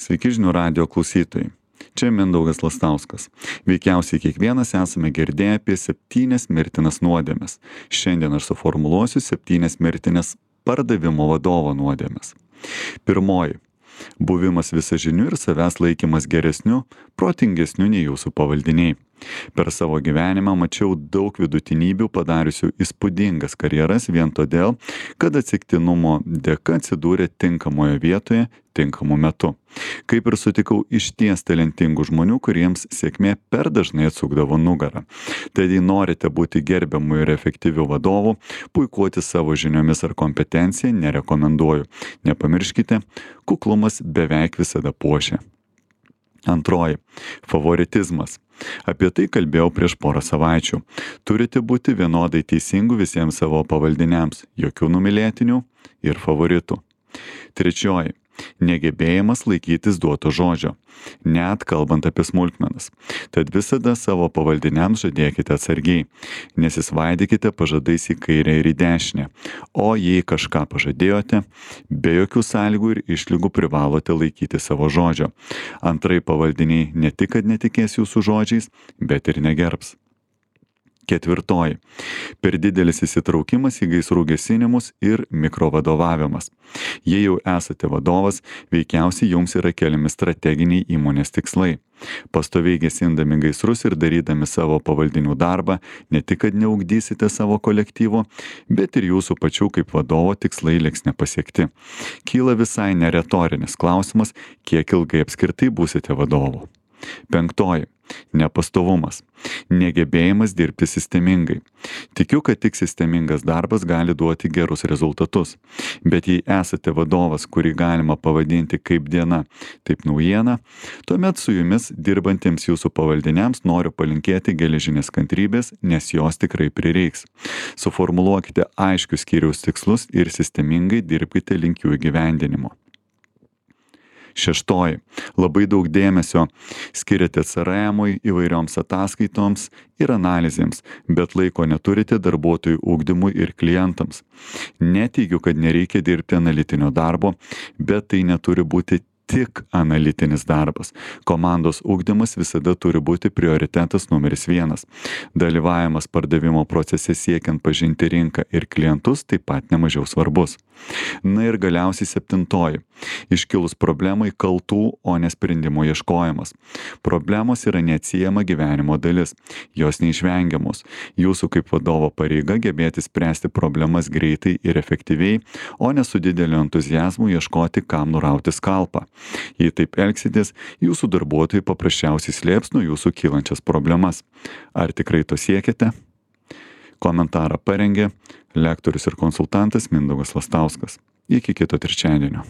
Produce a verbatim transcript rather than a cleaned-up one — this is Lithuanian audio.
Sveiki žinių radijo klausytojai. Čia Mindaugas Lastauskas. Veikiausiai kiekvienas esame girdėję apie septynias mirtinas nuodėmes. Šiandien aš suformuluosiu septynias mirtinas pardavimo vadovo nuodėmes. Pirmoji. Buvimas visažiniu ir savęs laikymas geresniu, protingesniu nei jūsų pavaldiniai. Per savo gyvenimą mačiau daug vidutinybių padariusių įspūdingas karjeras vien todėl, kad atsitiktinumo dėka atsidūrė tinkamoje vietoje, tinkamu metu. Kaip ir sutikau išties talentingų žmonių, kuriems sėkmė per dažnai atsukdavo nugarą. Tad jei norite būti gerbiamu ir efektyviu vadovu, puikuoti savo žiniomis ar kompetenciją nerekomenduoju. Nepamirškite, kuklumas beveik visada puošia. Antroji. Favoritizmas. Apie tai kalbėjau prieš porą savaičių. Turite būti vienodai teisingų visiems savo pavaldiniams, jokių numylėtinių ir favoritų. Trečioji. Negebėjimas laikytis duoto žodžio, net kalbant apie smulkmenas. Tad visada savo pavaldiniams žadėkite atsargiai, nesisvaidykite pažadais į kairę ir į dešinę, o jei kažką pažadėjote, be jokių sąlygų ir išlygų privalote laikyti savo žodžio. Antrai pavaldiniai ne tik, kad netikės jūsų žodžiais, bet ir negerbs. Ketvirtoji. Per didelis įsitraukimas į gaisrų gesinimus ir mikrovadovavimas. Jei jau esate vadovas, veikiausiai jums yra keliami strateginiai įmonės tikslai. Pastoviai gesindami gaisrus ir darydami savo pavaldinių darbą, ne tik, kad neugdysite savo kolektyvo, bet ir jūsų pačių kaip vadovo tikslai liks nepasiekti. Kyla visai neretorinis klausimas, kiek ilgai apskritai būsite vadovu. Penktoji. Nepastovumas. Negebėjimas dirbti sistemingai. Tikiu, kad tik sistemingas darbas gali duoti gerus rezultatus. Bet jei esate vadovas, kurį galima pavadinti kaip diena, taip naujiena, tuomet su jumis dirbantiems jūsų pavaldiniams noriu palinkėti geležinės kantrybės, nes jos tikrai prireiks. Suformuluokite aiškius skyriaus tikslus ir sistemingai dirbkite link jų įgyvendinimo. Šeštoji. Labai daug dėmesio skiriate C R M-ui, įvairioms ataskaitoms ir analizėms, bet laiko neturite darbuotojų ugdymui ir klientams. Neteigiu, kad nereikia dirbti analitinio darbo, bet tai neturi būti tik analitinis darbas. Komandos ugdymas visada turi būti prioritetas numeris vienas. Dalyvavimas pardavimo procese siekiant pažinti rinką ir klientus taip pat nemažiau svarbus. Na ir galiausiai septintoji. Iškilus problemai kaltų, o ne sprendimo ieškojimas. Problemos yra neatsiejama gyvenimo dalis. Jos neišvengiamos. Jūsų kaip vadovo pareiga gebėti spręsti problemas greitai ir efektyviai, o ne su dideliu entuziazmu ieškoti, kam nurauti skalpą. Jei taip elgsitės, jūsų darbuotojai paprasčiausiai slėps nuo jūsų kylančias problemas. Ar tikrai to siekite? Komentarą parengė lektorius ir konsultantas Mindaugas Lastauskas. Iki kito trečiadienio.